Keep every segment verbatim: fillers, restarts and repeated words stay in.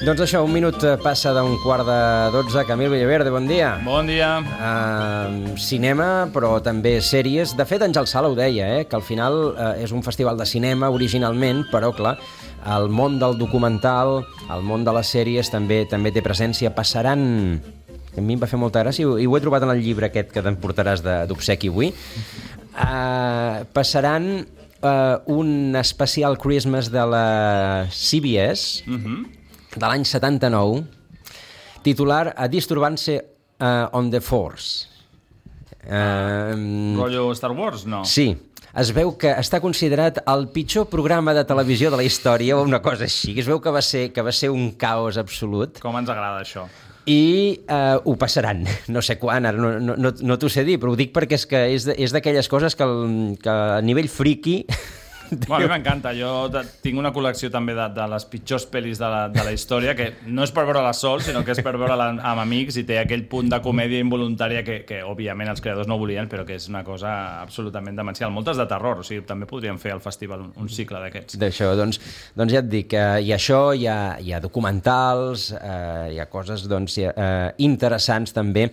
Doncs això, un minut passa d'un quart de dotze. Camil Villaverde, bon dia. Bon dia. Uh, cinema, però també sèries. De fet, Àngel Sala ho deia, eh? Que al final uh, és un festival de cinema originalment, però, clar, el món del documental, el món de les sèries també també té presència. Passaran... A mi em va fer molta gràcia, i ho he trobat en el llibre aquest que t'emportaràs d'obsequi avui. Uh, passaran uh, un especial Christmas de la C B S... Mhm. de l'any setanta-nou, titular A Disturbance uh, on the Force. Uh, Rollo Star Wars, no? Sí. Es veu que està considerat el pitjor programa de televisió de la història o una cosa així. Es veu que va ser, que va ser un caos absolut. Com ens agrada això. I uh, ho passaran. No sé quan, ara no, no, no, no t'ho sé dir, però ho dic perquè és que és d'aquelles coses que, el, que a nivell friki... Bueno, a mi m'encanta, jo tinc una col·lecció també de, de les pitjors pel·lis de la, de la història, que no és per veure-la sol, sinó que és per veure-la amb amics, i té aquell punt de comèdia involuntària que, que òbviament els creadors no volien, però que és una cosa absolutament demencial. Moltes de terror, o sigui, també podríem fer al festival un, un cicle d'aquests. D'això, doncs, doncs ja et dic, eh, hi ha això, hi ha, hi ha documentals, eh, hi ha coses doncs, hi ha, eh, interessants també,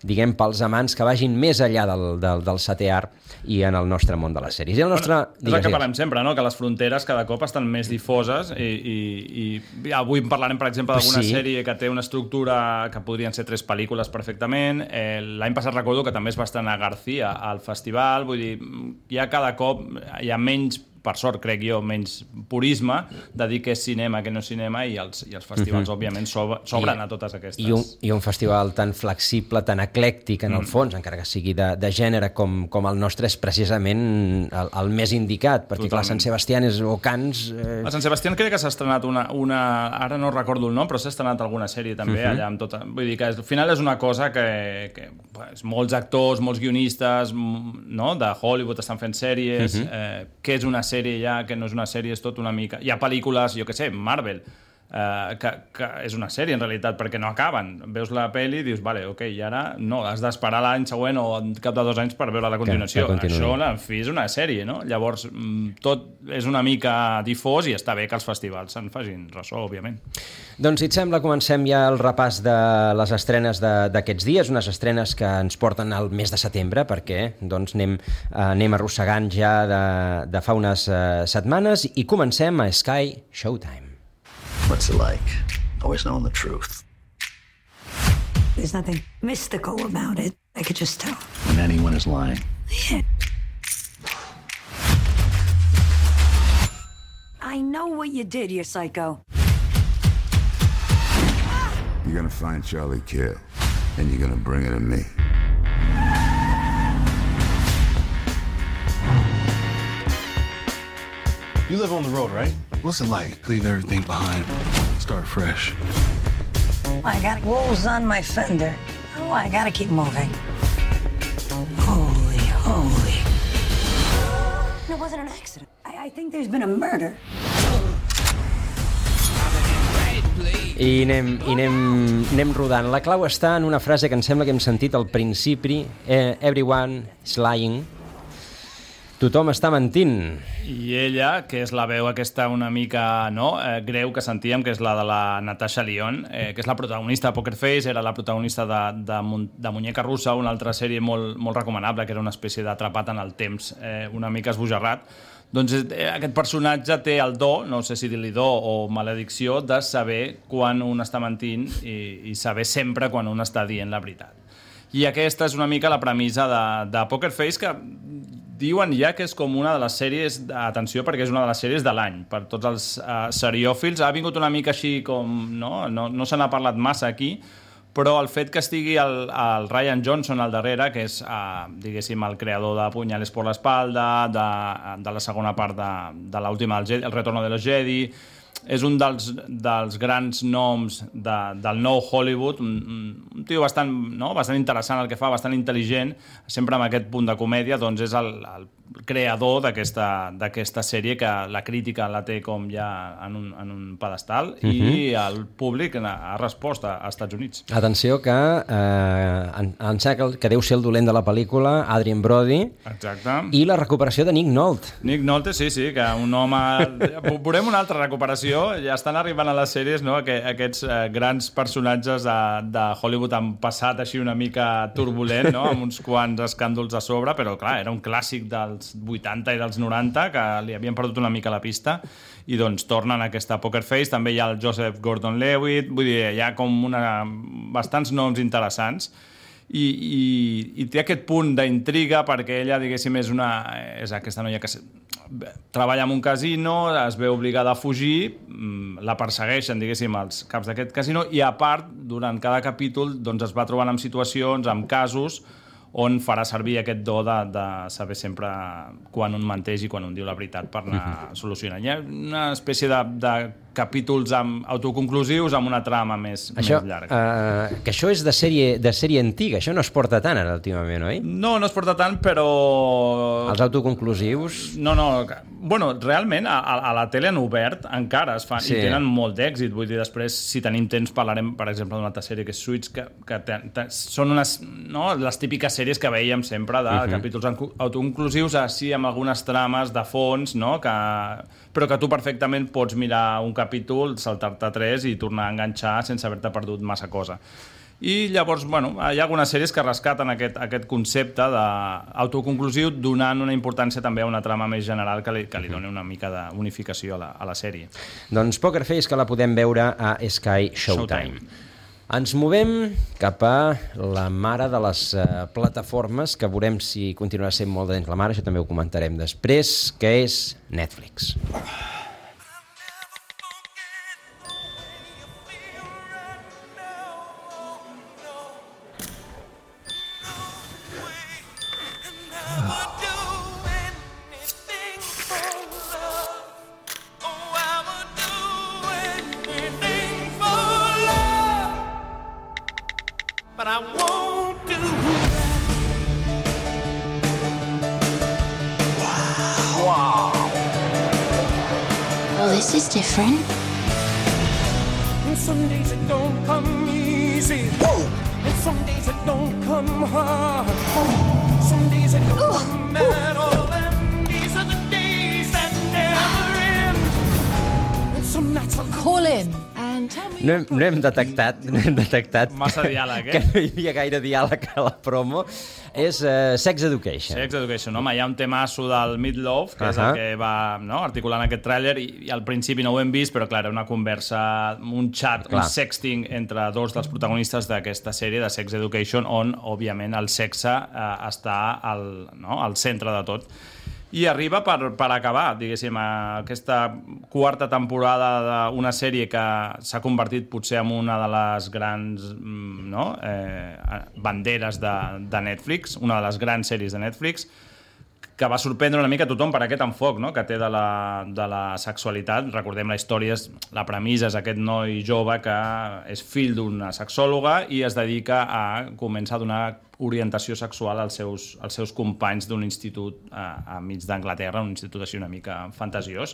diguem, pels amants que vagin més enllà del, del, del setè art i en el nostre món de les sèries. I el nostre... Bueno, és el que parlem sempre, no? Que les fronteres cada cop estan més difoses i, i, i avui parlarem, per exemple, d'alguna sí. sèrie que té una estructura que podrien ser tres pel·lícules perfectament. Eh, L'any passat recordo que també es va estrenar García al festival, vull dir, ja cada cop hi ha menys, per sort, crec jo, menys purisme de dir que és cinema, que no és cinema, i els, i els festivals, uh-huh. òbviament, s'obren a totes aquestes. I un, I un festival tan flexible, tan eclèctic, en el fons, mm. encara que sigui de, de gènere com, com el nostre, és precisament el, el més indicat, perquè, clar, Sant Sebastián és, o Cans... Eh... A Sant Sebastián crec que s'ha estrenat una, una... Ara no recordo el nom, però s'ha estrenat alguna sèrie també, uh-huh. allà amb tota... Vull dir que al final és una cosa que, que pues, molts actors, molts guionistes, no?, de Hollywood estan fent sèries, uh-huh. eh, que és una sèrie ja, que no és una sèrie, és tot una mica... Hi ha pel·lícules, jo què sé, Marvel, eh, que, que és una sèrie en realitat, perquè no acaben. Veus la pel·li i dius, vale, ok, i ara no, has d'esperar l'any següent o en cap de dos anys per veure la continuació. Això, en fi, és una sèrie, no? Llavors, tot és una mica difós i està bé que els festivals se'n facin ressò, òbviament. Doncs, si et sembla, comencem ja el repàs de les estrenes d'aquests dies, unes estrenes que ens porten al mes de setembre, perquè doncs, anem, eh, anem arrossegant ja de, de fa unes eh, setmanes, i comencem a Sky Showtime. What's it like? Always knowing the truth. There's nothing mystical about it. I could just tell. When anyone is lying. Yeah. I know what you did, you psycho. You're gonna find Charlie Kidd, and you're gonna bring it to me. You live on the road, right? What's it like? Leave everything behind, start fresh. I got wolves on my fender. Oh, I gotta keep moving. Holy, holy. It wasn't an accident. I, I think there's been a murder. I anem, i anem, anem rodant. La clau està en una frase que em sembla que hem sentit al principi. Eh, Everyone is lying. Tothom està mentint. I ella, que és la veu aquesta una mica no, eh, greu que sentíem, que és la de la Natasha Lyonne, eh, que és la protagonista de Poker Face, era la protagonista de, de, de Muñeca Russa, una altra sèrie molt, molt recomanable, que era una espècie d'atrapat en el temps, eh, una mica esbojarrat. Doncs eh, aquest personatge té el do, no sé si dir-li do o maledicció, de saber quan un està mentint i, i saber sempre quan un està dient la veritat. I aquesta és una mica la premissa de, de Poker Face, que diuen ja que és com una de les sèries, atenció, perquè és una de les sèries de l'any, per tots els uh, seriòfils. Ha vingut una mica així com... No, no, no se n'ha parlat massa aquí, però el fet que estigui el, el Ryan Johnson al darrere, que és, uh, diguéssim, el creador de Puñales por la espalda, de, de la segona part de, de l'última, el, el Retorno de los Jedi, és un dels, dels grans noms de, del nou Hollywood, un, un tio bastant, no? bastant interessant el que fa, bastant intel·ligent, sempre amb aquest punt de comèdia, doncs és el, el creador d'aquesta d'aquesta sèrie, que la crítica la té com ja en un, en un pedestal, uh-huh. i el públic ha respost a, als Estats Units. Atenció que eh, en, en que, que deu ser el dolent de la pel·lícula, Adrien Brody. Exacte. I la recuperació de Nick Nolte. Nick Nolte, sí, sí, que un home... Veurem una altra recuperació. Ja estan arribant a les sèries, no?, aquests eh, grans personatges de, de Hollywood han passat així una mica turbulent, no?, amb uns quants escàndols a sobre, però clar, era un clàssic dels vuitanta i dels noranta que li havien perdut una mica la pista, i doncs tornen a aquesta Poker Face. També hi ha el Joseph Gordon-Levitt, vull dir, hi ha com una, bastants noms interessants, i, i, i té aquest punt d'intriga perquè ella, diguéssim, és, una, és aquesta noia que treballa en un casino, es veu obligada a fugir, la persegueixen, diguéssim, els caps d'aquest casino, i a part, durant cada capítol, doncs es va trobant amb situacions, amb casos, on farà servir aquest do de, de saber sempre quan un menteix i quan un diu la veritat per anar solucionant. Hi ha una espècie de, de capítols amb autoconclusius amb una trama més, això, més llarga. Uh, que això és de sèrie, de sèrie antiga, això no es porta tant ara últimament, oi? No, no es porta tant, però... Els autoconclusius... No, no, bueno, realment a, a la tele han obert, encara es fan, sí. I tenen molt d'èxit, vull dir, després, si tenim temps, parlarem, per exemple, d'una altra sèrie que és Suits, que, que te, te, són unes, no, les típiques sèries que veiem sempre de uh-huh. capítols autoconclusius, així amb algunes trames de fons, no?, que, però que tu perfectament pots mirar un capítol, saltar-te tres i tornar a enganxar sense haver-te perdut massa cosa. I llavors, bueno, hi ha algunes sèries que rescaten aquest, aquest concepte d'autoconclusiu, donant una importància també a una trama més general que li, que li doni una mica d'unificació a la, a la sèrie. Doncs Poker Face, que la podem veure a Sky Showtime. Showtime. Ens movem cap a la mare de les uh, plataformes, que veurem si continuarà sent molt de dins la mare, això també ho comentarem després, que és Netflix. But I won't do that. Wow. Wow. Well, this is different. And some days it don't come easy. Whoa. And some days it don't come hard. Whoa. Some days it don't Ooh. come at all. And these are the days that never end. And some nights I'll call in. No hem, no hem detectat, no hem detectat massa diàleg, eh? que no hi havia gaire diàleg a la promo. És uh, Sex Education. Sex Education, home, hi ha un temasso del Meatloaf, que uh-huh. és el que va, no, articulant aquest tràiler, i, i al principi no ho hem vist, però clar, era una conversa, un chat, clar. un sexting entre dos dels protagonistes d'aquesta sèrie de Sex Education, on, òbviament, el sexe eh, està al, no, al centre de tot. I arriba per, per acabar, diguéssim, aquesta quarta temporada d'una sèrie que s'ha convertit potser en una de les grans, no, eh, banderes de, de Netflix, una de les grans sèries de Netflix, que va sorprendre una mica a tothom per aquest enfoc, no?, que té de la, de la sexualitat. Recordem la història, la premissa és aquest noi jove que és fill d'una sexòloga i es dedica a començar a donar orientació sexual als seus, als seus companys d'un institut a, a mig d'Anglaterra, un institut així una mica fantasiós.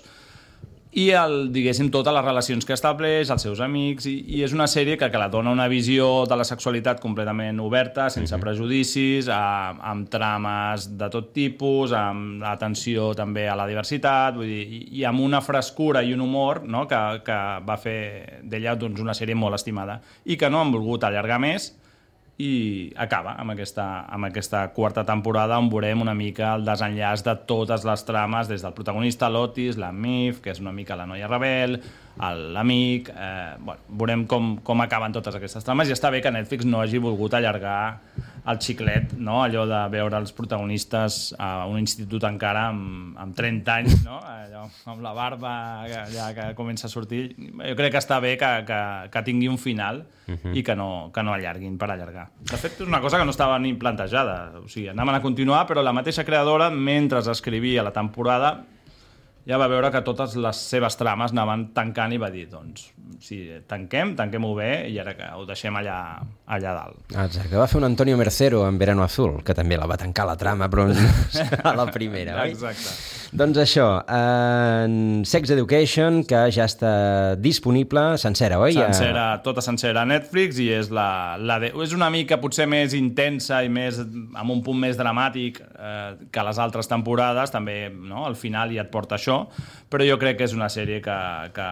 I, el, diguéssim, totes les relacions que estableix, els seus amics, i, i és una sèrie que, que la dona una visió de la sexualitat completament oberta, sense uh-huh. prejudicis, a, amb trames de tot tipus, amb atenció també a la diversitat, vull dir, i, i amb una frescura i un humor, no?, que, que va fer d'ella, doncs, una sèrie molt estimada i que no han volgut allargar més, i acaba amb aquesta, amb aquesta quarta temporada on veurem una mica el desenllaç de totes les trames, des del protagonista, l'Otis, la Mif, que és una mica la noia rebel, l'amic, eh, bueno, veurem com, com acaben totes aquestes trames, i està bé que Netflix no hagi volgut allargar el xiclet, no?, allò de veure els protagonistes a un institut encara amb, amb trenta anys, no?, allò, amb la barba que, ja, que comença a sortir. Jo crec que està bé que, que, que tingui un final uh-huh. i que no, que no allarguin per allargar. De fet, és una cosa que no estava ni plantejada, o sigui, anaven a continuar, però la mateixa creadora, mentre escrivia la temporada, ja va veure que totes les seves trames anaven tancant i va dir, doncs, sí, tanquem, tanquem-ho bé i ara que ho deixem allà, allà dalt. Exacte, va fer un Antonio Mercero en Verano Azul, que també la va tancar la trama, però a la primera, oi? Exacte. Doncs això, en Sex Education, que ja està disponible sencera, oi? Sencera, tota sencera a Netflix i és, la, la de, és una mica potser més intensa i més, amb un punt més dramàtic eh, que les altres temporades, també no? Al final ja et porta això, però jo crec que és una sèrie que, que,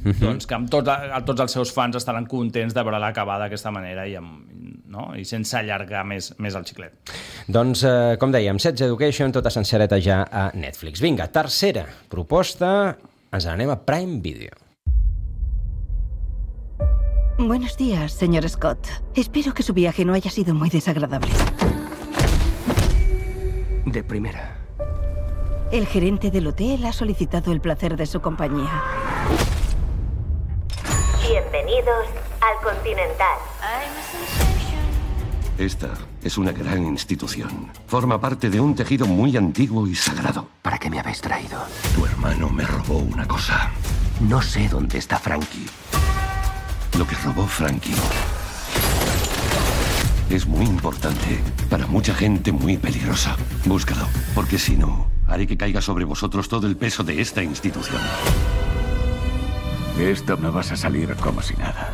uh-huh. doncs, que amb tot, tots els seus fans estaran contents de veure-la acabar d'aquesta manera i, amb, no? I sense allargar més, més el xiclet. Doncs, eh, com dèiem, Sex Education, tota sencereta ja a Netflix. Vinga, tercera proposta, ens anem a Prime Video. Buenos días, señor Scott. Espero que su viaje no haya sido muy desagradable. De primera. El gerente del hotel ha solicitado el placer de su compañía. Bienvenidos al Continental. Esta es una gran institución. Forma parte de un tejido muy antiguo y sagrado. ¿Para qué me habéis traído? Tu hermano me robó una cosa. No sé dónde está Frankie. Lo que robó Frankie es muy importante para mucha gente muy peligrosa. Búscalo, porque si no, haré que caiga sobre vosotros todo el peso de esta institución. De esto no vas a salir como si nada.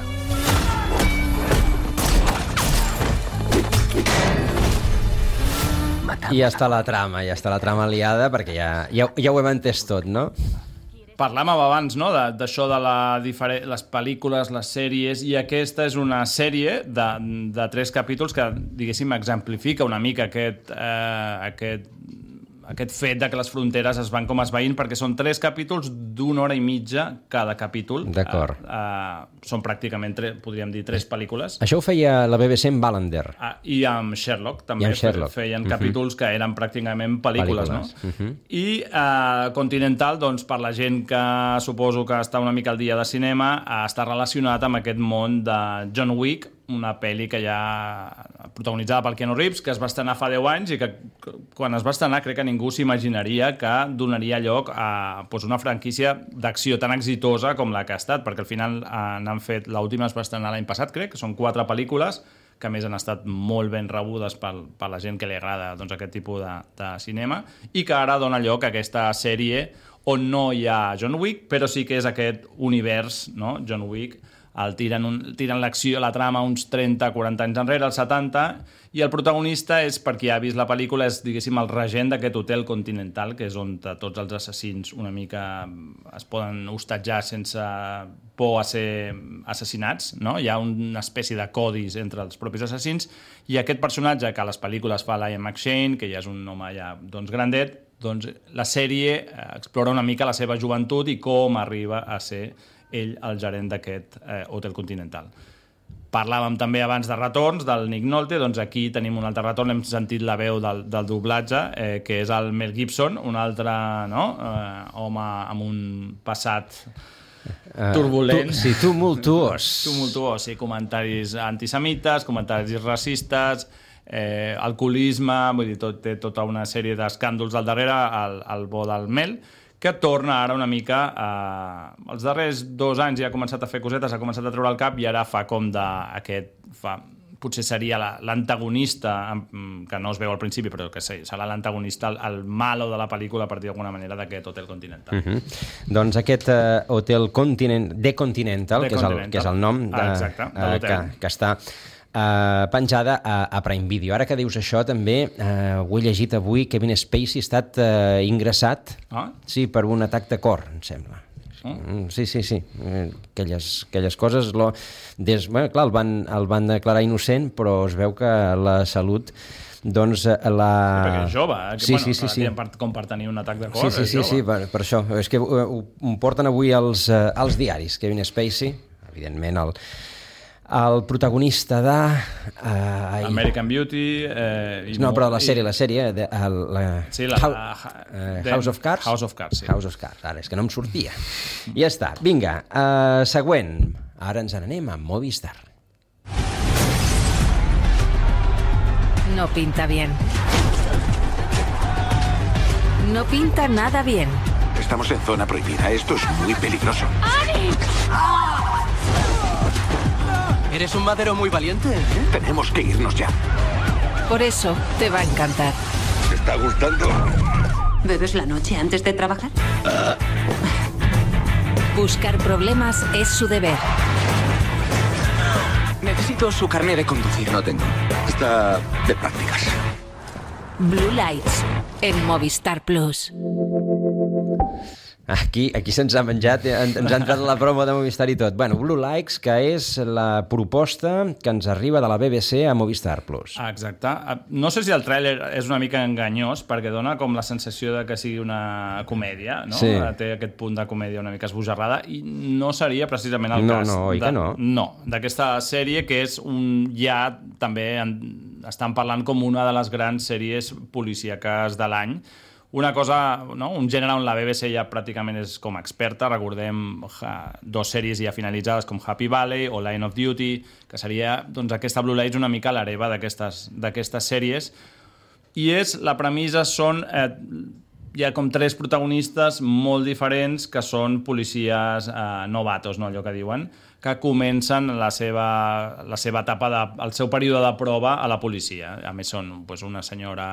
I ja està la trama, ja està la trama liada, perquè ja, ja, ja ho hem entès tot, no? Parlàvem abans, no?, d'això de, de la diferent, les pel·lícules, les sèries, i aquesta és una sèrie de, de tres capítols que, diguéssim, exemplifica una mica aquest, eh, aquest, aquest fet de que les fronteres es van com esvaint, perquè són tres capítols d'una hora i mitja cada capítol. D'acord. Eh, eh, són pràcticament, tre, podríem dir, tres pel·lícules. Això ho feia la B B C amb Wallander. Ah, I amb Sherlock, també. I amb Sherlock. Feien uh-huh. capítols que eren pràcticament pel·lícules, pel·lícules. No? Uh-huh. I eh, Continental, doncs, per la gent que suposo que està una mica al dia de cinema, eh, està relacionat amb aquest món de John Wick, una pel·li que ja protagonitzada pel Keanu Reeves, que es va estrenar fa deu anys i que quan es va estrenar crec que ningú s'imaginaria que donaria lloc a doncs, una franquícia d'acció tan exitosa com la que ha estat, perquè al final eh, n'han fet, l'última es va estrenar l'any passat, crec, que són quatre pel·lícules que a més han estat molt ben rebudes per, per la gent que li agrada doncs, aquest tipus de, de cinema, i que ara dona lloc a aquesta sèrie on no hi ha John Wick, però sí que és aquest univers, no? John Wick, el tiren, un, tiren l'acció, la trama uns trenta a quaranta anys enrere, als setanta, i el protagonista és, per qui ha vist la pel·lícula, és, diguéssim, el regent d'aquest hotel Continental, que és on tots els assassins una mica es poden hostatjar sense por a ser assassinats, no? Hi ha una espècie de codis entre els propis assassins, i aquest personatge que a les pel·lícules fa l'Ian McShane, que ja és un home ja doncs, grandet, doncs la sèrie explora una mica la seva joventut i com arriba a ser ell el gerent d'aquest eh, Hotel Continental. Parlàvem també abans de retorns del Nick Nolte, doncs aquí tenim un altre retorn, hem sentit la veu del, del doblatge, eh, que és el Mel Gibson, un altre no? eh, home amb un passat uh, turbulent. Tu, sí, tumultuós. Tumultuós, sí, comentaris antisemites, comentaris racistes, eh, alcoholisme, vull dir, tot, té tota una sèrie d'escàndols al darrere, el, el bo del Mel, que torna ara una mica... Eh, els darrers dos anys ja ha començat a fer cosetes, ha començat a treure el cap i ara fa com d'aquest... Fa, potser seria l'antagonista, que no es veu al principi, però que sí, serà l'antagonista, el, el malo de la pel·lícula, per dir d'alguna manera, d'aquest Hotel Continental. Uh-huh. Doncs aquest uh, Hotel Continent, The Continental, The que, Continental. És el, que és el nom de, ah, exacte, de uh, que, que està... Uh, penjada a, a Prime Video. Ara que dius això, també uh, ho he llegit avui, Kevin Spacey ha estat uh, ingressat ah? sí, per un atac de cor, em sembla. Oh. Sí, sí, sí. Aquelles, aquelles coses... Lo, des, bueno, clar, el van, el van declarar innocent, però es veu que la salut... Doncs la... Sí, perquè és jove, eh? Sí, bueno, sí, sí, sí. Per, com per tenir un atac de cor, sí, sí, és sí, jove. Sí, per, per això. És que ho, ho porten avui als, als diaris. Kevin Spacey, evidentment, el... el protagonista de... Uh, American Beauty... Eh, no, però la sèrie, la sèrie... De, el, la, sí, la... Uh, House of Cards? House of Cards, sí. House of Cards, ara, és que no em sortia. Ja està, vinga, uh, següent. Ara ens n'anem a Movistar. No pinta bien. No pinta nada bien. Estamos en zona prohibida. Esto es muy peligroso. ¡Ani! Eres un madero muy valiente, ¿eh? Tenemos que irnos ya. Por eso te va a encantar. ¿Te está gustando? ¿Bebes la noche antes de trabajar? Ah. Buscar problemas es su deber. Necesito su carnet de conducir. No tengo. Está de prácticas. Blue Lights, en Movistar Plus. Aquí, aquí se'ns ha menjat, ens ha entrat la promo de Movistar i tot. Bueno, Blue Lights, que és la proposta que ens arriba de la B B C a Movistar Plus. Exacte. No sé si el tràiler és una mica enganyós, perquè dona com la sensació de que sigui una comèdia, no? Sí. Té aquest punt de comèdia una mica esbojarrada, i no seria precisament el no, cas. No, oi de, que no? No, d'aquesta sèrie, que és un... ja també en, estan parlant com una de les grans sèries policíaques de l'any. Una cosa, no? Un gènere on la B B C ja pràcticament és com experta. Recordem ja, dos sèries ja finalitzades com Happy Valley o Line of Duty, que seria doncs, aquesta Blue Lights una mica l'hereva d'aquestes sèries. I és, la premissa són... Eh, hi ha com tres protagonistes molt diferents que són policies eh, novatos, no? Allò que diuen, que comencen la seva, la seva etapa, de, el seu període de prova a la policia. A més, són pues, una senyora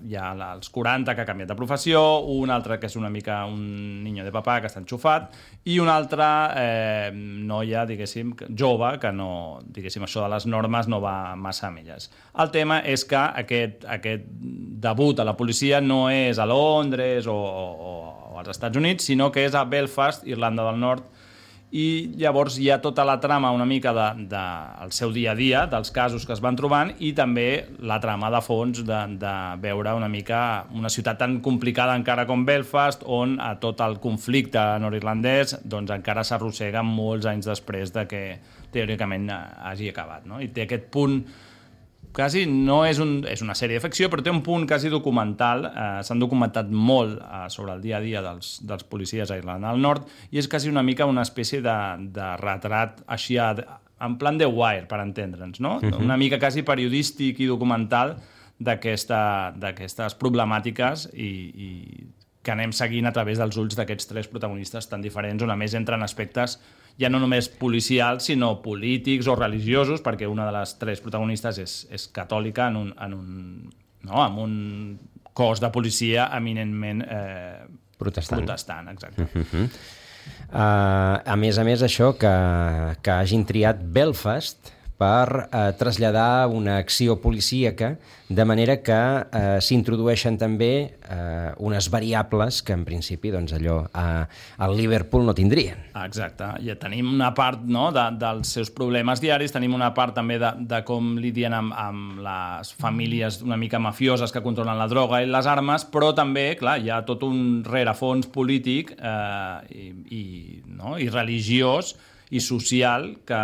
ja als quaranta que ha canviat de professió, un altre que és una mica un niño de papà que està enxufat, i una altra eh, noia, diguéssim, jove, que no, diguéssim, això de les normes no va massa amb elles. El tema és que aquest, aquest debut a la policia no és a Londres o, o, o als Estats Units, sinó que és a Belfast, Irlanda del Nord, i llavors hi ha tota la trama una mica del de, de, seu dia a dia, dels casos que es van trobant, i també la trama de fons de, de veure una mica una ciutat tan complicada encara com Belfast, on a tot el conflicte nord-irlandès doncs, encara s'arrossega molts anys després de que teòricament hagi acabat, no? I té aquest punt quasi no és, un, és una sèrie de ficció, però té un punt quasi documental. Eh, S'han documentat molt eh, sobre el dia a dia dels, dels policies a Irlanda del Nord, i és quasi una mica una espècie de, de retrat així a, en plan de Wire, per entendre'ns, no? Uh-huh. Una mica quasi periodístic i documental d'aquestes problemàtiques i, i que anem seguint a través dels ulls d'aquests tres protagonistes tan diferents, on a més entren aspectes ja no només policials, sinó polítics o religiosos, perquè una de les tres protagonistes és, és catòlica en un, en un, no, en un cos de policia eminentment eh, protestant. protestant exacte. Uh-huh. uh, a més a més, això que, que hagin triat Belfast per eh, traslladar una acció policíaca, de manera que eh, s'introdueixen també eh, unes variables que en principi doncs, allò a, al Liverpool no tindrien. Exacte, ja tenim una part, no, de, dels seus problemes diaris, tenim una part també de, de com lidien amb, amb les famílies una mica mafioses que controlen la droga i les armes, però també, clar, hi ha tot un rerefons polític eh, i, i, no, i religiós i social que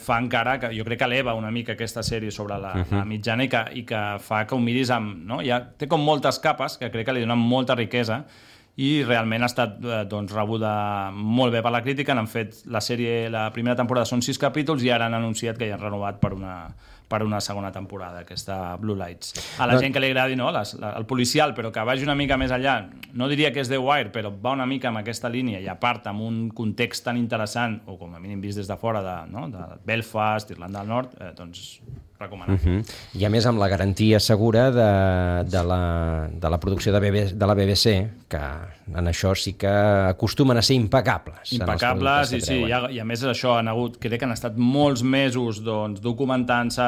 fa encara, que jo crec que eleva una mica aquesta sèrie sobre la, uh-huh. la mitjana i que, i que fa que ho miris amb... No? Ja té com moltes capes que crec que li donen molta riquesa i realment ha estat doncs, rebuda molt bé per la crítica. Han fet la sèrie, la primera temporada són sis capítols i ara han anunciat que ja han renovat per una, per una segona temporada, aquesta Blue Lights. A la no. gent que li agradi, no, les, la, el policial, però que vagi una mica més enllà, no diria que és The Wire, però va una mica amb aquesta línia i a part amb un context tan interessant, o com a mínim vist des de fora de, no, de Belfast, Irlanda del Nord, eh, doncs recomanable. Uh-huh. I a més amb la garantia segura de, de, la, de la producció de, B B, de la B B C, que en això sí que acostumen a ser impecables. Impecables, i sí, i a, i a més això han hagut, crec que han estat molts mesos doncs, documentant-se,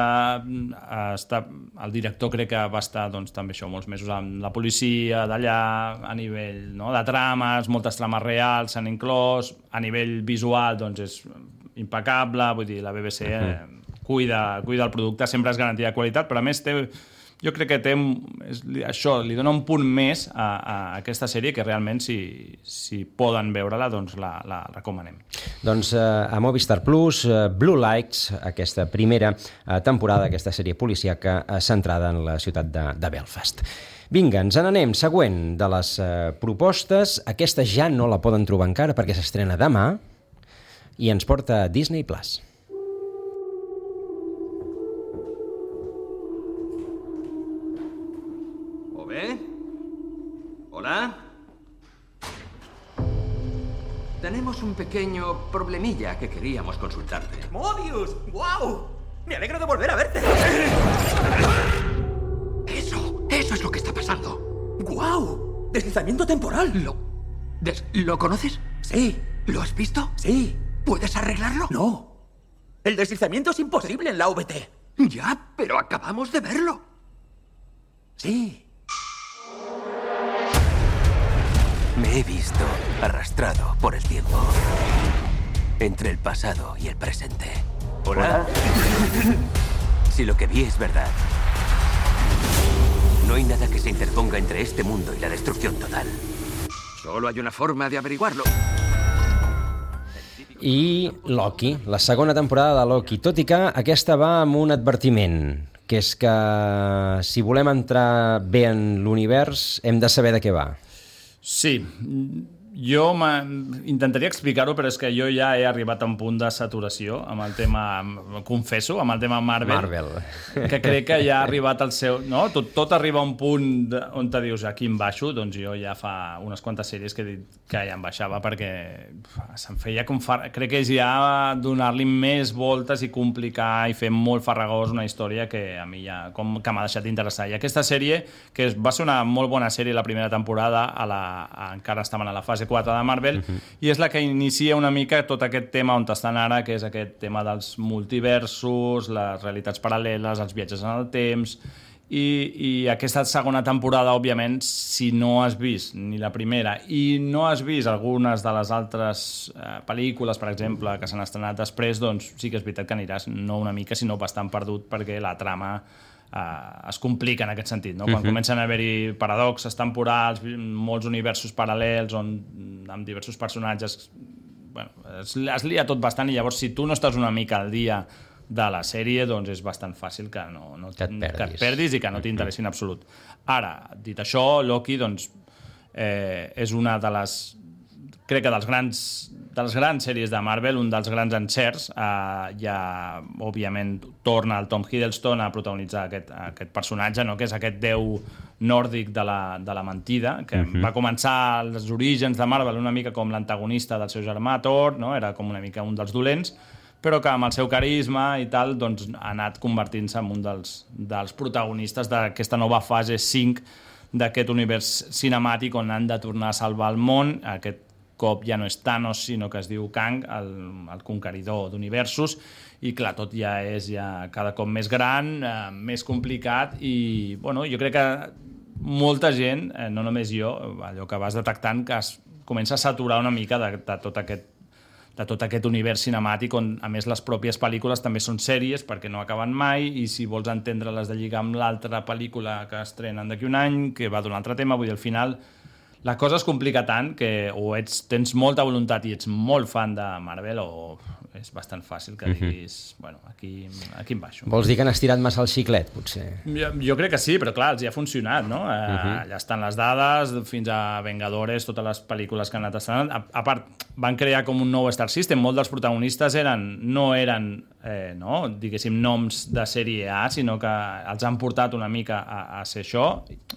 està, el director crec que va estar doncs, també això, molts mesos amb la policia d'allà, a nivell no, de trames, moltes trames reals s'han inclòs, a nivell visual doncs és impecable, vull dir, la B B C uh-huh. Cuida, cuida el producte, sempre és garantia de qualitat, però a més té, jo crec que té, és, això li dona un punt més a, a aquesta sèrie que realment si, si poden veure-la doncs la, la recomanem. Doncs eh, a Movistar Plus, eh, Blue Lights, aquesta primera eh, temporada d'aquesta sèrie policíaca eh, centrada en la ciutat de, de Belfast. Vinga, ens n'anem. Següent de les eh, propostes, aquesta ja no la poden trobar encara perquè s'estrena demà i ens porta a Disney Plus. ¿Hola? Tenemos un pequeño problemilla que queríamos consultarte. ¡Mobius! ¡Guau! Me alegro de volver a verte. Eso, eso es lo que está pasando. ¡Guau! Deslizamiento temporal. ¿Lo, des, ¿lo conoces? Sí. ¿Lo has visto? Sí. ¿Puedes arreglarlo? No. El deslizamiento es imposible en la V T. Ya, pero acabamos de verlo. Sí. Me he visto arrastrado por el tiempo. Entre el pasado y el presente. ¿Hola? Si lo que vi es verdad, no hay nada que se interponga entre este mundo y la destrucción total. Solo hay una forma de averiguarlo. I Loki, la segona temporada de Loki, tot i que aquesta va amb un advertiment, que és que si volem entrar bé en l'univers hem de saber de què va. Sí, jo intentaria explicar-ho, però és que jo ja he arribat a un punt de saturació amb el tema, confesso, amb el tema Marvel, Marvel. que crec que ja ha arribat al seu... No? Tot, tot arriba a un punt on te dius aquí em baixo, doncs jo ja fa unes quantes sèries que he dit que ja em baixava perquè se'm feia com far... Crec que és ja donar-li més voltes i complicar i fer molt farragós una història que a mi ja com que m'ha deixat d'interessar. I aquesta sèrie, que va ser una molt bona sèrie la primera temporada, a la, a, encara estaven a la fase quatre de Marvel, uh-huh. i és la que inicia una mica tot aquest tema on estan ara, que és aquest tema dels multiversos, les realitats paral·leles, els viatges en el temps, i, i aquesta segona temporada, òbviament, si no has vist ni la primera i no has vist algunes de les altres eh, pel·lícules, per exemple, que s'han estrenat després, doncs sí que és veritat que aniràs no una mica, sinó bastant perdut, perquè la trama Uh, es complica en aquest sentit, no? Quan uh-huh. comencen a haver-hi paradoxes temporals, molts universos paral·lels on, amb diversos personatges, bueno, es, es lia tot bastant, i llavors si tu no estàs una mica al dia de la sèrie, doncs és bastant fàcil que, no, no, que, et perdis. que et perdis i que no t'interessi en absolut. Ara, dit això, Loki doncs, eh, és una de les crec que dels grans, de les grans sèries de Marvel, un dels grans encerts, eh, ja, òbviament, torna el Tom Hiddleston a protagonitzar aquest, aquest personatge, no? Que és aquest déu nòrdic de la, de la mentida, que uh-huh. va començar els orígens de Marvel una mica com l'antagonista del seu germà Thor, no? Era com una mica un dels dolents, però que amb el seu carisma i tal doncs, ha anat convertint-se en un dels, dels protagonistes d'aquesta nova fase cinc d'aquest univers cinemàtic on han de tornar a salvar el món. Aquest cop ja no és Thanos, sinó que es diu Kang, el, el conqueridor d'universos, i clar, tot ja és ja cada cop més gran, eh, més complicat, i bueno, jo crec que molta gent, eh, no només jo, allò que vas detectant, que es comença a saturar una mica de, de tot aquest de tot aquest univers cinemàtic on, a més, les pròpies pel·lícules també són sèries perquè no acaben mai, i si vols entendre-les de lligar amb l'altra pel·lícula que estrenen d'aquí un any, que va d'un altre tema, vull dir, al final la cosa es complica tant que o ets, tens molta voluntat i ets molt fan de Marvel, o és bastant fàcil que diguis, uh-huh. bueno, aquí, aquí em baixo. Vols dir que han estirat massa el xiclet, potser? Jo, jo crec que sí, però clar, els hi ha funcionat, no? Eh, uh-huh. Allà estan les dades, fins a Vengadores, totes les pel·lícules que han anat estrenant. A, a part, van crear com un nou Star System, molts dels protagonistes eren, no eren, eh, no, diguéssim, noms de sèrie A, sinó que els han portat una mica a, a ser això.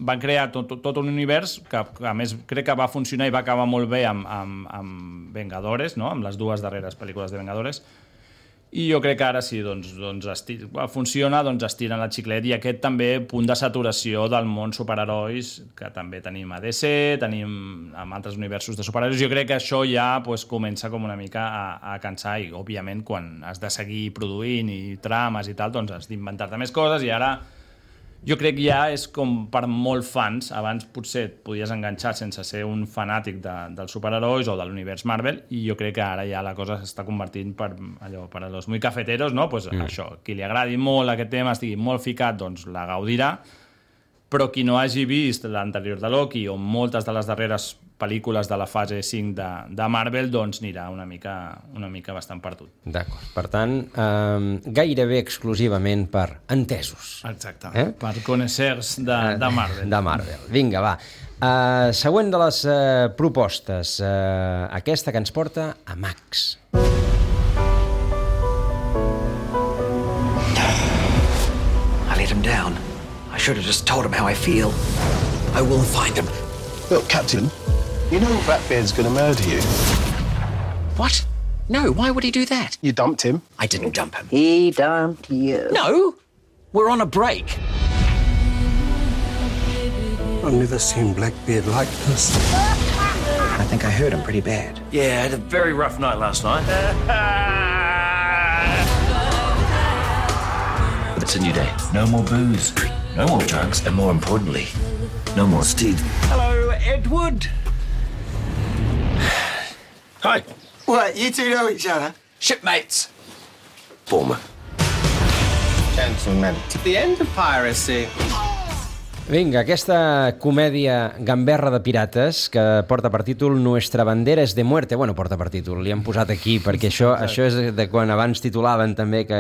Van crear tot, tot, tot un univers que, que, a més, crec que va funcionar i va acabar molt bé amb, amb, amb Vengadores, no? Amb les dues darreres pel·lícules de Vengadores. I jo crec que ara sí, doncs, doncs estir, funciona, doncs estiren el xiclet, i aquest també punt de saturació del món superherois, que també tenim a D C, tenim amb altres universos de superherois. Jo crec que això ja pues, comença com una mica a, a cansar, i òbviament quan has de seguir produint i trames i tal, doncs has d'inventar-te més coses, i ara jo crec que ja és com per molt fans. Abans potser et podies enganxar sense ser un fanàtic de, dels superherois o de l'univers Marvel, i jo crec que ara ja la cosa s'està convertint per allò, per a los muy cafeteros, no? Pues mm. això, qui li agradi molt aquest tema, estigui molt ficat, doncs la gaudirà, però qui no hagi vist l'anterior de Loki o moltes de les darreres pel·lícules de la fase cinc de, de Marvel, doncs anirà una mica, una mica bastant perdut. D'acord. Per tant, eh, gairebé exclusivament per entesos. Exacte. Eh? Per coneixers de, de Marvel. De Marvel. Vinga, va. Uh, següent de les uh, propostes. Uh, aquesta que ens porta a Max. I let him down. I should have just told him how I feel. I will find him. Look, Captain, you know Blackbeard's going to murder you. What? No, why would he do that? You dumped him. I didn't dump him. He dumped you. No! We're on a break. I've never seen Blackbeard like this. I think I hurt him pretty bad. Yeah, I had a very rough night last night. But it's a new day. No more booze, no more drugs, and more importantly, no more Steve. Hello, Edward. Hi. What, you two know each other? Shipmates. Former. Gentlemen, to the end of piracy. Vinga, aquesta comèdia gamberra de pirates que porta per títol Nuestra bandera es de muerte. Bueno, porta per títol, li han posat aquí, perquè això, això és de quan abans titulaven també que...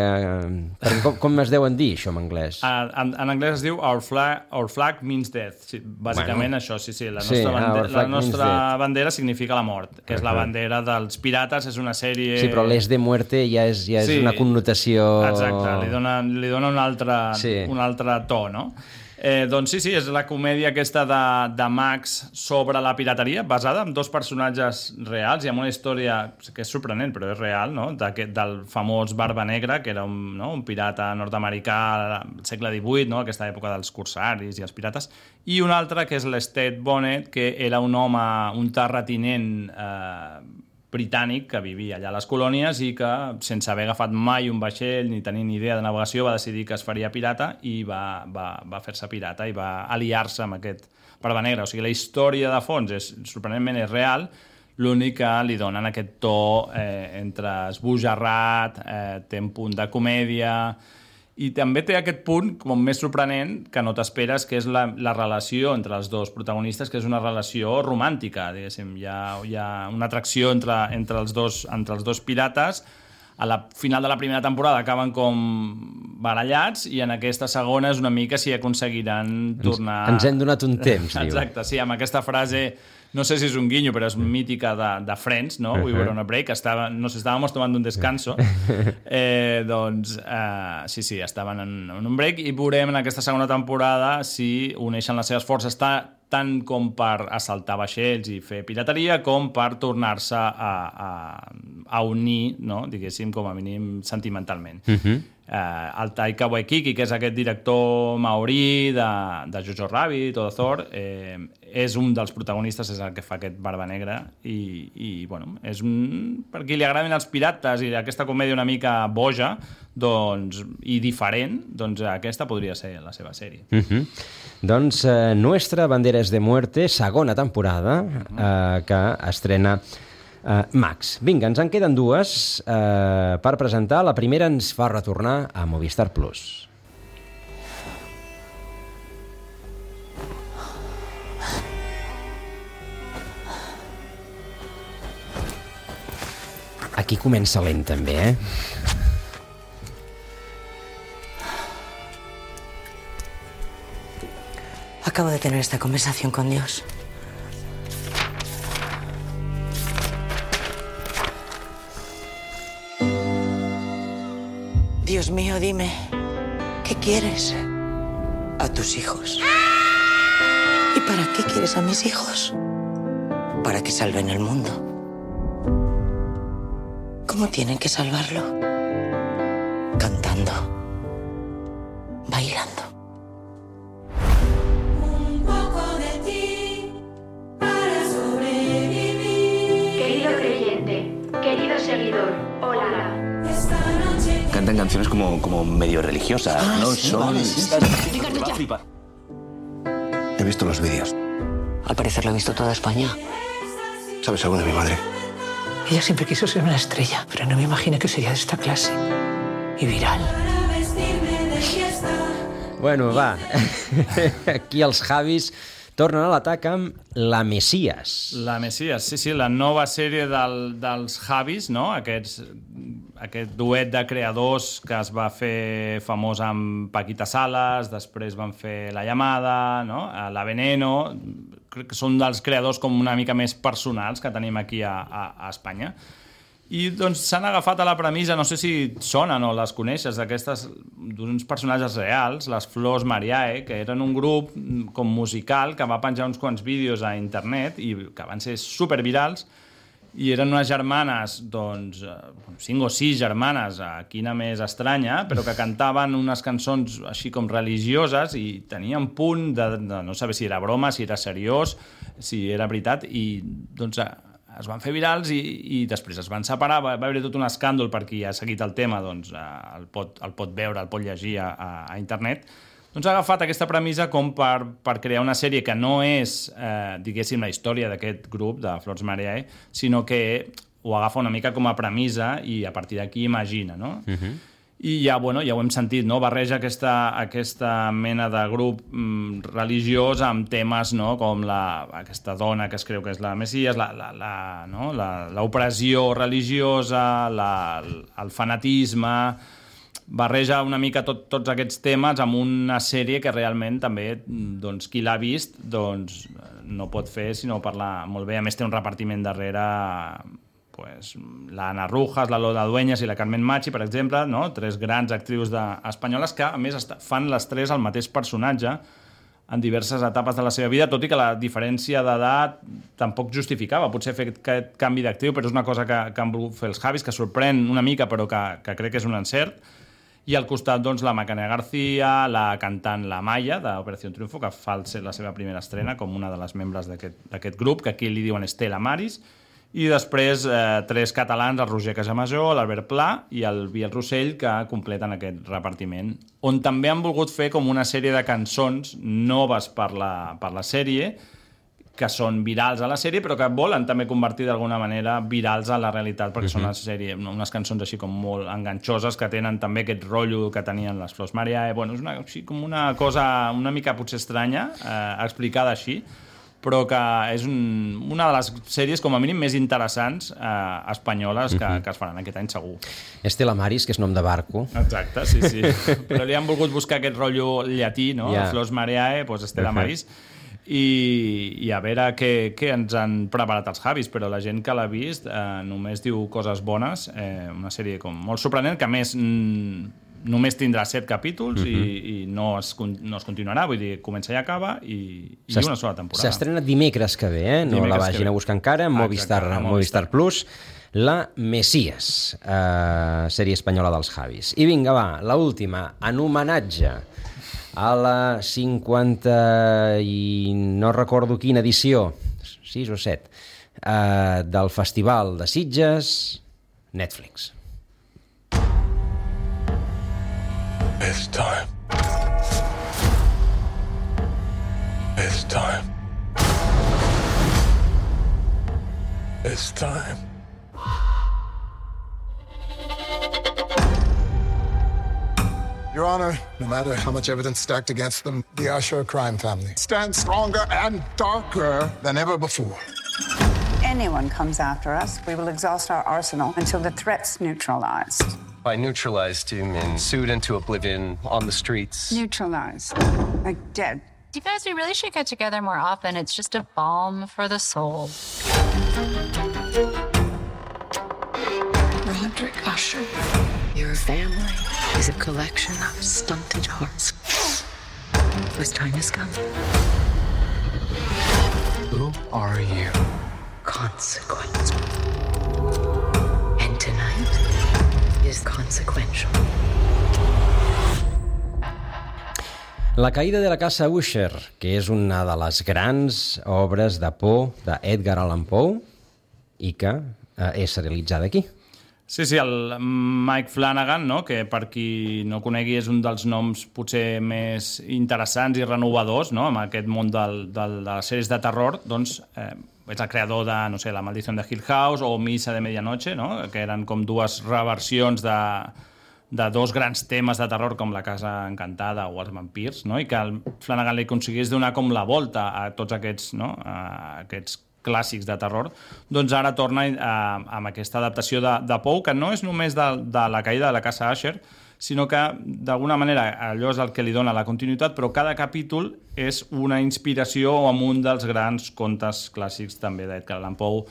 Perquè com, com es deuen dir, això en anglès? En, en anglès es diu Our flag, our flag means death. Sí, bàsicament bueno, això, sí, sí. La nostra, sí, bandera, la nostra bandera significa la mort, que és la bandera dels pirates, és una sèrie... Sí, però l'es de muerte ja és, ja és sí, una connotació... Exacte, li dona, li dona un altre, sí. un altre to, no? Eh, doncs sí, sí, és la comèdia aquesta de, de Max sobre la pirateria, basada en dos personatges reals i amb una història que és sorprenent, però és real, no? de, del famós Barba Negra, que era un, no? un pirata nord-americà al segle divuit, no? aquesta època dels corsaris i els pirates, i un altre que és l'Estate Bonnet, que era un home, un terratinent eh, britànic que vivia allà a les colònies i que, sense haver agafat mai un vaixell ni tenir ni idea de navegació, va decidir que es faria pirata i va, va, va fer-se pirata i va aliar-se amb aquest Barba Negra. O sigui, la història de fons és, sorprenentment és real, l'únic que li donen aquest to eh, entre esbojarrat, eh, té un punt de comèdia... I també té aquest punt com més sorprenent que no t'esperes, que és la, la relació entre els dos protagonistes, que és una relació romàntica, diguéssim. Hi ha, hi ha una atracció entre, entre, els dos, entre els dos pirates. A la final de la primera temporada acaben com barallats i en aquesta segona és una mica si aconseguiran tornar... Ens, ens hem donat un temps, diu. Exacte, sí, amb aquesta frase... No sé si és un guinyo, però és mítica de, de Friends, no? Uh-huh. We were on a break. Estava, nos estábamos tomando un descanso. Eh, doncs, eh, sí, sí, estaven en, en un break i veurem en aquesta segona temporada si uneixen les seves forces tant com per assaltar vaixells i fer pirateria, com per tornar-se a, a, a unir, no? Diguéssim, com a mínim sentimentalment. Uh-huh. Uh, el Taika Waititi, que és aquest director maorí de, de Jojo Rabbit o de Thor, eh, és un dels protagonistes, és el que fa aquest Barba Negra i, i bueno, és un, per qui li agraden els pirates i aquesta comèdia una mica boja doncs, i diferent, doncs aquesta podria ser la seva sèrie. Uh-huh. Doncs eh, Nuestra bandera es de muerte, segona temporada, uh-huh. eh, que estrena Uh, Max. Vinga, ens en queden dues uh, per presentar. La primera ens fa retornar a Movistar Plus. Aquí comença lent també, eh? Acabo de tener esta conversación con Dios. Dios mío, dime, ¿qué quieres a tus hijos? ¿Y para qué quieres a mis hijos? Para que salven el mundo. ¿Cómo tienen que salvarlo? Cantando, bailando. Un poco de ti para sobrevivir. Querido creyente, querido seguidor, hola. Cantan canciones como, como medio religiosas, ah, ¿no? Sí, son... Vale, sí, sí. He visto los vídeos. Al parecer lo ha visto toda España. ¿Sabes algo de mi madre? Ella siempre quiso ser una estrella, pero no me imaginé que sería de esta clase. Y viral. Bueno, va. Aquí els Javis tornen a l'atac amb La Mesías. La Mesías, sí, sí, la nova sèrie del, dels Javis, no? Aquests, aquest duet de creadors que es va fer famós amb Paquita Salas, després van fer La Llamada, no? La Veneno. Crec que són dels creadors com una mica més personals que tenim aquí a, a, a Espanya. I doncs s'han agafat a la premissa, no sé si sonen o les coneixes, d'aquestes, d'uns personatges reals, les Flors Mariae, que eren un grup com musical que va penjar uns quants vídeos a internet i que van ser supervirals i eren unes germanes, doncs, cinc o sis germanes, quina més estranya, però que cantaven unes cançons així com religioses i tenien punt de, de no saber si era broma, si era seriós, si era veritat, i doncs es van fer virals i, i després es van separar, va, va haver tot un escàndol per qui ha seguit el tema, doncs el pot, el pot veure, el pot llegir a, a, a internet. Doncs ha agafat aquesta premissa com per, per crear una sèrie que no és, eh, diguéssim, la història d'aquest grup, de Flors Mariae, sinó que ho agafa una mica com a premissa i a partir d'aquí imagina, no? Uh-huh. I ja, bueno, ja ho hem sentit, no? Barreja aquesta, aquesta mena de grup mm, religiós amb temes, no? Com la, aquesta dona que es creu que és la Messies, la, la, la, no? la, l'opressió religiosa, la, el fanatisme... barreja una mica tot, tots aquests temes amb una sèrie que realment també, doncs, qui l'ha vist, doncs, no pot fer sinó parlar molt bé. A més, té un repartiment darrere, pues, la Ana Rujas, la Lola Dueñas i la Carmen Machi, per exemple, no? Tres grans actrius de, espanyoles que, a més, fan les tres el mateix personatge en diverses etapes de la seva vida, tot i que la diferència d'edat tampoc justificava. Potser fer aquest canvi d'actriu, però és una cosa que, que han volgut fer els Javis, que sorprèn una mica, però que, que crec que és un encert. I al costat, doncs, la Macarena García, la cantant La Maya, d'Operació Triunfo, que fa la seva primera estrena com una de les membres d'aquest grup, que aquí li diuen Estela Maris, i després eh, tres catalans, el Roger Casamajó, l'Albert Pla i el Biel Rossell, que completen aquest repartiment, on també han volgut fer com una sèrie de cançons noves per la, per la sèrie, que són virals a la sèrie, però que volen també convertir d'alguna manera virals a la realitat, perquè uh-huh. són una sèrie, unes cançons així com molt enganxoses, que tenen també aquest rotllo que tenien les Flors Mariae. Bueno, és una, així com una cosa una mica potser estranya, eh, explicada així, però que és un, una de les sèries com a mínim més interessants eh, espanyoles que, uh-huh. que es faran aquest any segur. Estela Maris, que és nom de barco. Exacte, sí, sí. Però li han volgut buscar aquest rotllo llatí, no? Yeah. Flors Mariae, doncs Estela uh-huh. Maris. I, i a veure què, què ens han preparat els Javis, però la gent que l'ha vist eh, només diu coses bones, eh, una sèrie com molt sorprenent, que a més mm, només tindrà set capítols uh-huh. i, i no, es, no es continuarà, vull dir, comença i acaba i, i una sola temporada. S'estrena dimecres que ve, eh? No dimecres la vagin a buscar encara, Movistar, ah, Movistar Plus, La Messies, eh, sèrie espanyola dels Javis. I vinga, va, l'última, en homenatge a la cinquanta i no recordo quina edició, sis o set, eh, del Festival de Sitges, Netflix. It's time. It's time. It's time. Your Honor, no matter how much evidence stacked against them, the Usher crime family stands stronger and darker than ever before. Anyone comes after us, we will exhaust our arsenal until the threat's neutralized. By neutralized, you mean sued into oblivion on the streets? Neutralized. Like dead. You guys, we really should get together more often. It's just a balm for the soul. Roderick Usher, your family is a collection of stunted hearts whose time has come. Who are you? Consequence. And tonight is consequential. La caïda de la casa Usher, que és una de les grans obres de por d'Edgar Allan Poe i que eh, és serialitzada aquí. Sí, sí, el Mike Flanagan, no? Que per qui no conegui és un dels noms potser més interessants i renovadors, no? En aquest món del, del, de les sèries de terror, doncs eh, és el creador de, no sé, La maldición de Hill House o Missa de Medianoche, no? Que eren com dues reversions de, de dos grans temes de terror com La casa encantada o Els vampirs, no? I que el Flanagan li aconseguís donar com la volta a tots aquests, no? A aquests clàssics de terror, doncs ara torna eh, amb aquesta adaptació de, de Poe, que no és només de, de la caïda de la casa Usher, sinó que d'alguna manera allò és el que li dona la continuïtat, però cada capítol és una inspiració amb un dels grans contes clàssics també d'Edgar Allan Poe,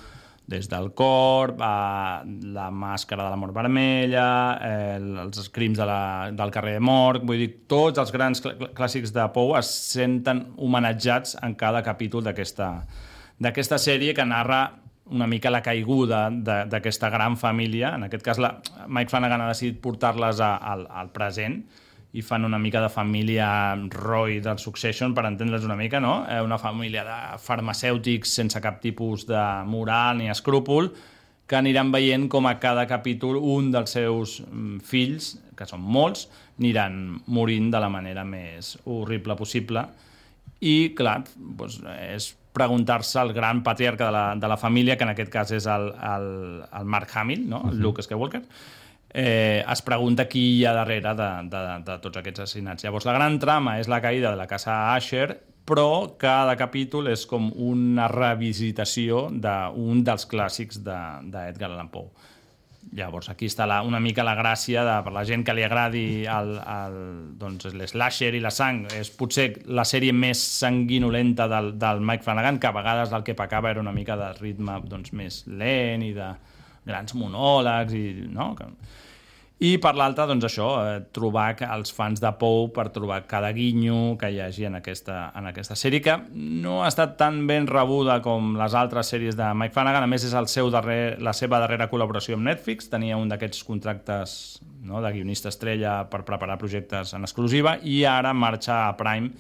des del Corb, a La màscara de la mort vermella, eh, els crims de la, del carrer de Morgue, vull dir, tots els grans cl- clàssics de Poe es senten homenatjats en cada capítol d'aquesta d'aquesta sèrie que narra una mica la caiguda d'aquesta gran família. En aquest cas, la, Mike Flanagan ha decidit portar-les a, al, al present i fan una mica de família Roy del Succession, per entendre's una mica, no? Una família de farmacèutics sense cap tipus de moral ni escrúpol, que aniran veient com a cada capítol un dels seus fills, que són molts, aniran morint de la manera més horrible possible. I, clar, doncs, és preguntar-se al gran patriarca de la, de la família, que en aquest cas és el, el, el Mark Hamill, no? El Luke Skywalker, eh, es pregunta qui hi ha darrere de, de, de tots aquests assassinats. Llavors, la gran trama és la caïda de la casa Asher, però cada capítol és com una revisitació d'un dels clàssics d'Edgar Allan Poe. Llavors, aquí està la, una mica la gràcia de, per la gent que li agradi el, el, doncs, l'slasher i la sang. És potser la sèrie més sanguinolenta del, del Mike Flanagan, que a vegades el que pecava era una mica de ritme doncs, més lent i de grans monòlegs. I, no? I per l'altra, doncs això, eh, trobar els fans de Poe per trobar cada guinyo que hi hagi en aquesta, en aquesta sèrie, que no ha estat tan ben rebuda com les altres sèries de Mike Flanagan. A més, és el seu darrer, la seva darrera col·laboració amb Netflix. Tenia un d'aquests contractes, no, de guionista estrella per preparar projectes en exclusiva, i ara marxa a Prime,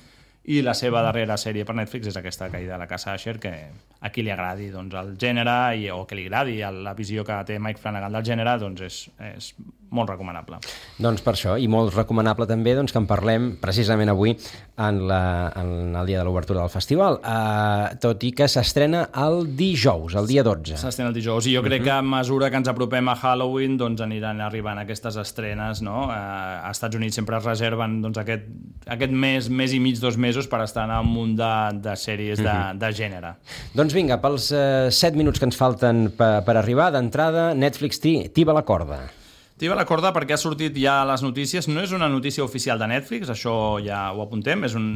i la seva darrera sèrie per Netflix és aquesta caïda de la casa Asher, que a qui li agradi doncs, el gènere i, o que li agradi la visió que té Mike Flanagan del gènere, doncs és, és molt recomanable. Doncs per això, i molt recomanable també doncs, que en parlem precisament avui en, la, en el dia de l'obertura del festival, uh, tot i que s'estrena el dijous, el dia dotze. S'estrena el dijous, i jo crec uh-huh. que a mesura que ens apropem a Halloween doncs aniran arribant aquestes estrenes, no? Uh, a Estats Units sempre es reserven doncs, aquest, aquest mes, mes i mig, dos mesos, per estar en un munt de, de sèries de, uh-huh. de gènere. Doncs vinga, pels uh, set minuts que ens falten per, per arribar, d'entrada, Netflix tiba la corda. Tiba la corda perquè ha sortit ja a les notícies. No és una notícia oficial de Netflix, això ja ho apuntem, és un,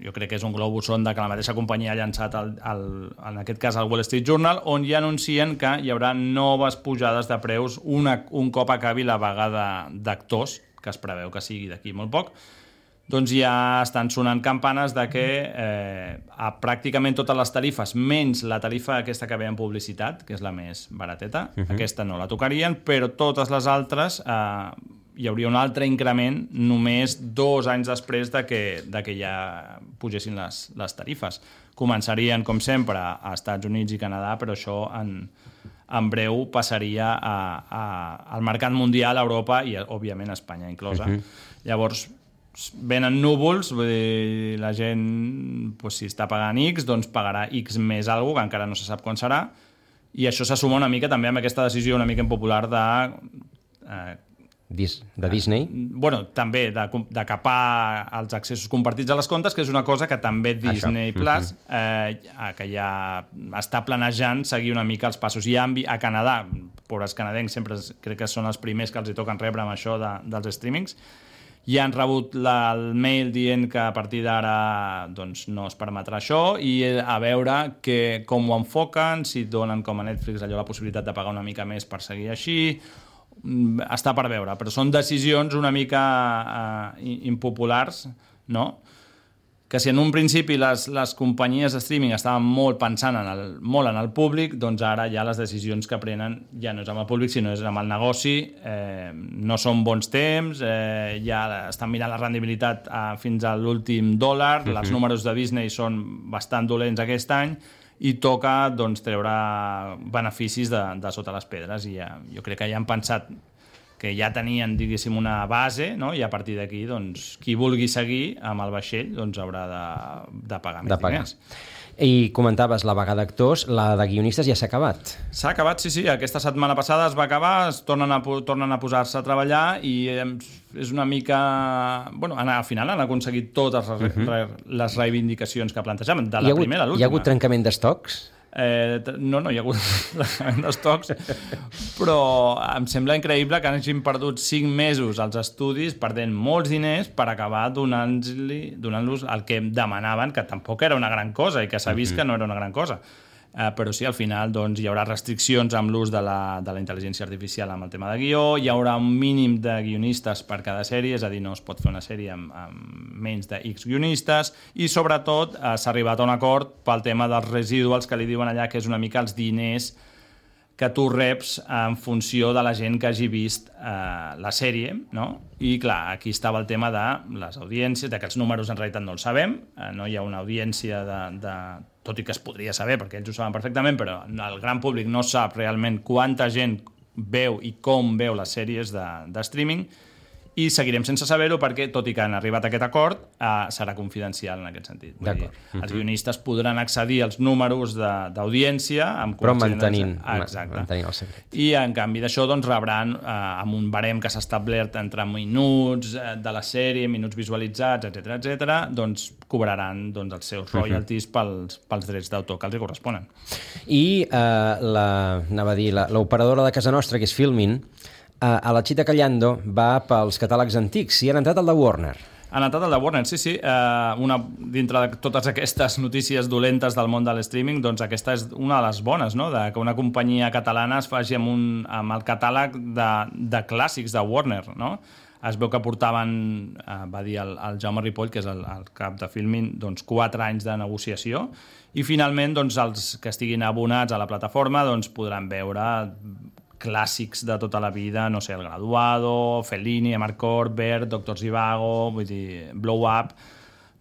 jo crec que és un globus sonda que la mateixa companyia ha llançat al, al, en aquest cas al Wall Street Journal, on ja anuncien que hi haurà noves pujades de preus una, un cop acabi la vaga d'actors, que es preveu que sigui d'aquí molt poc. Doncs ja estan sonant campanes de que eh, a pràcticament totes les tarifes, menys la tarifa aquesta que ve en publicitat, que és la més barateta, uh-huh. aquesta no la tocarien, però totes les altres eh, hi hauria un altre increment només dos anys després de que, de que ja pugessin les, les tarifes. Començarien, com sempre, a Estats Units i Canadà, però això en, en breu passaria a, a, al mercat mundial, a Europa i, òbviament, a Espanya inclosa. Uh-huh. Llavors, venen núvols, vull dir, la gent, doncs, si està pagant X, doncs pagarà X més alguna, que encara no se sap quan serà, i això se suma una mica també amb aquesta decisió una mica impopular de... Eh, Dis, de Disney? Eh, bueno, també de, de capar els accessos compartits a les comptes, que és una cosa que també Disney això. Plus, eh, que ja està planejant seguir una mica els passos. I a Canadà, pobres canadencs, sempre crec que són els primers que els hi toquen rebre amb això de, dels streamings, ja han rebut la, el mail dient que a partir d'ara doncs, no es permetrà això, i a veure que, com ho enfoquen, si donen com a Netflix allò la possibilitat de pagar una mica més per seguir així, està per veure, però són decisions una mica uh, impopulars, no? Que si en un principi les, les companyies de streaming estaven molt pensant en el, molt en el públic, doncs ara ja les decisions que prenen ja no és amb el públic, sinó és amb el negoci, eh, no són bons temps, eh, ja estan mirant la rendibilitat eh, fins a l'últim dòlar, uh-huh. els números de Disney són bastant dolents aquest any, i toca doncs, treure beneficis de, de sota les pedres, i ja, jo crec que ja han pensat que ja tenien, diguéssim, una base, no? I a partir d'aquí, doncs, qui vulgui seguir amb el vaixell, doncs haurà de, de pagar més diners. I comentaves la vaga d'actors, la de guionistes ja s'ha acabat. S'ha acabat, sí, sí. Aquesta setmana passada es va acabar, es tornen a, tornen a posar-se a treballar i és una mica... Bueno, al final han aconseguit totes les, uh-huh. re, les reivindicacions que plantejaven, de la hagut, primera a l'última. Hi ha hagut trencament d'estocs? Eh, no, no hi ha hagut trencament d'estocs, però em sembla increïble que hagin perdut cinc mesos als estudis perdent molts diners per acabar donant-los donant el que demanaven, que tampoc era una gran cosa i que s'ha vist que no era una gran cosa. Uh, però sí, al final doncs, hi haurà restriccions amb l'ús de la, de la intel·ligència artificial amb el tema de guió, hi haurà un mínim de guionistes per cada sèrie, és a dir, no es pot fer una sèrie amb, amb menys de X guionistes, i sobretot uh, s'ha arribat a un acord pel tema dels residuals que li diuen allà, que és una mica els diners que tu reps en funció de la gent que hagi vist eh, la sèrie, no? I clar, aquí estava el tema de les audiències, de que els números en realitat no els sabem, eh, no hi ha una audiència de, de... tot i que es podria saber, perquè ells ho saben perfectament, però el gran públic no sap realment quanta gent veu i com veu les sèries de, de streaming, i seguirem sense saber-ho perquè, tot i que han arribat a aquest acord, eh, serà confidencial en aquest sentit. Vull dir, els guionistes podran accedir als números d'audiència amb però mantenint, Exacte. mantenint el secret. I en canvi d'això doncs, rebran eh, amb un barem que s'ha establert entre minuts eh, de la sèrie, minuts visualitzats, etcètera, etcètera, doncs cobraran doncs, els seus royalties pels, pels drets d'autor que els hi corresponen. I eh, la, anava a dir, l'operadora de casa nostra, que és Filmin, a la Chita Callando va pels catàlegs antics i han entrat al de Warner. Han entrat al de Warner, sí, sí. Uh, una, dintre de totes aquestes notícies dolentes del món de l'streaming, doncs aquesta és una de les bones, no? De que una companyia catalana es faci amb, un, amb el catàleg de, de clàssics de Warner, no? Es veu que portaven, uh, va dir el, el Jaume Ripoll, que és el, el cap de Filmin, doncs quatre anys de negociació, i finalment doncs, els que estiguin abonats a la plataforma doncs, podran veure clàssics de tota la vida, no sé, El Graduado, Fellini, Amarcord, Bert, Doctor Zhivago, vull dir, Blow Up,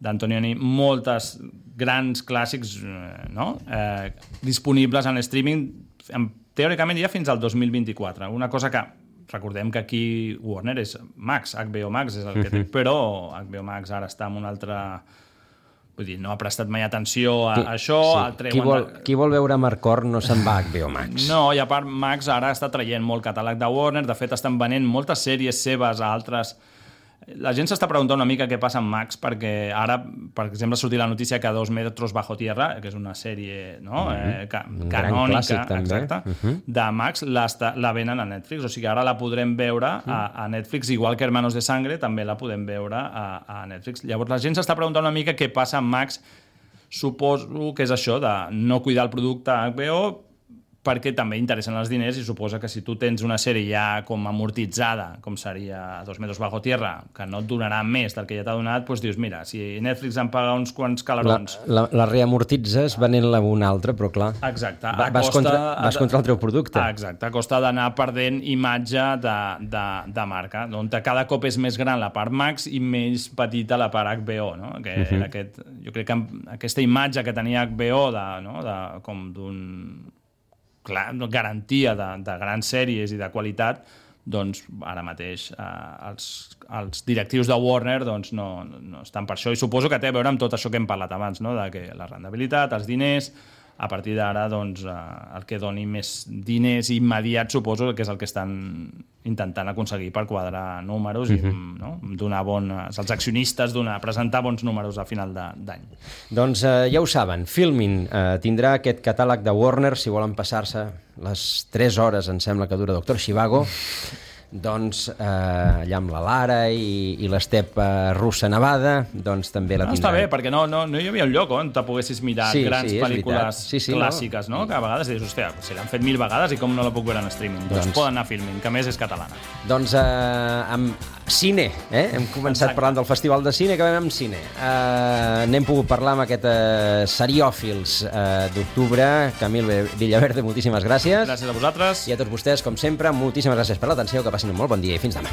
d'Antonioni, moltes grans clàssics no? eh, disponibles en streaming, teòricament ja fins al dos mil vint-i-quatre. Una cosa que, recordem que aquí Warner és Max, H B O Max és el que té, però H B O Max ara està en un altre... Vull dir, no ha prestat mai atenció a qui, això. Sí. Qui, vol, qui vol veure Amarcord no se'n va a H B O Max. No, i a part Max ara està traient molt catàleg de Warner, de fet estan venent moltes sèries seves a altres... La gent s'està preguntant una mica què passa amb Max, perquè ara, per exemple, ha sortit la notícia que Dos metros bajo tierra, que és una sèrie no? Mm-hmm. eh, ca canònica clàssic, exacte, mm-hmm. de Max, la, la venen a Netflix. O sigui, ara la podrem veure a, a Netflix, igual que Hermanos de Sangre, també la podem veure a, a Netflix. Llavors, la gent s'està preguntant una mica què passa amb Max. Suposo que és això, de no cuidar el producte H B O, perquè també interessen els diners i suposa que si tu tens una sèrie ja com amortitzada, com seria Dos metros bajo tierra, que no et donarà més del que ja t'ha donat, doncs dius, mira, si Netflix em paga uns quants calarons... La, la, la reamortitzes venent-la a un altre, però clar... Exacte. Va, vas, costa, contra, vas contra el teu producte. Exacte, a costa d'anar perdent imatge de, de, de marca, on cada cop és més gran la part Max i més petita la part H B O, no? Que uh-huh. era aquest, jo crec que aquesta imatge que tenia H B O de, no? de, com d'un... clar, garantia de, de grans sèries i de qualitat, doncs ara mateix eh, els, els directius de Warner doncs, no, no estan per això, i suposo que té a veure amb tot això que hem parlat abans, no? De que la rendibilitat, els diners, a partir d'ara doncs, eh, el que doni més diners immediats suposo que és el que estan intentant aconseguir per quadrar números i uh-huh. no? donar bons, als accionistes donar, presentar bons números a final d'any. Doncs eh, ja ho saben, Filmin eh, tindrà aquest catàleg de Warner, si volen passar-se les tres hores, em sembla que dura Doctor Zhivago, doncs eh, allà amb la Lara i, i l'estep eh, russa nevada, doncs també la no, tindran. Està bé, perquè no, no, no hi havia un lloc on te poguessis mirar sí, grans sí, pel·lícules sí, sí, clàssiques, no? no? Que a vegades dius, hòstia, si l'han fet mil vegades i com no la puc veure en streaming? Doncs, doncs poden anar a Filmin, que a més és catalana. Doncs eh, amb cine, eh? Hem començat Exacte. parlant del Festival de Cine, acabem amb cine. Eh, n'hem pogut parlar amb aquest eh, Seriòfils eh, d'octubre. Camil Villaverde, moltíssimes gràcies. Gràcies a vosaltres. I a tots vostès, com sempre, moltíssimes gràcies per l'atenció, que passin un molt bon dia i fins demà.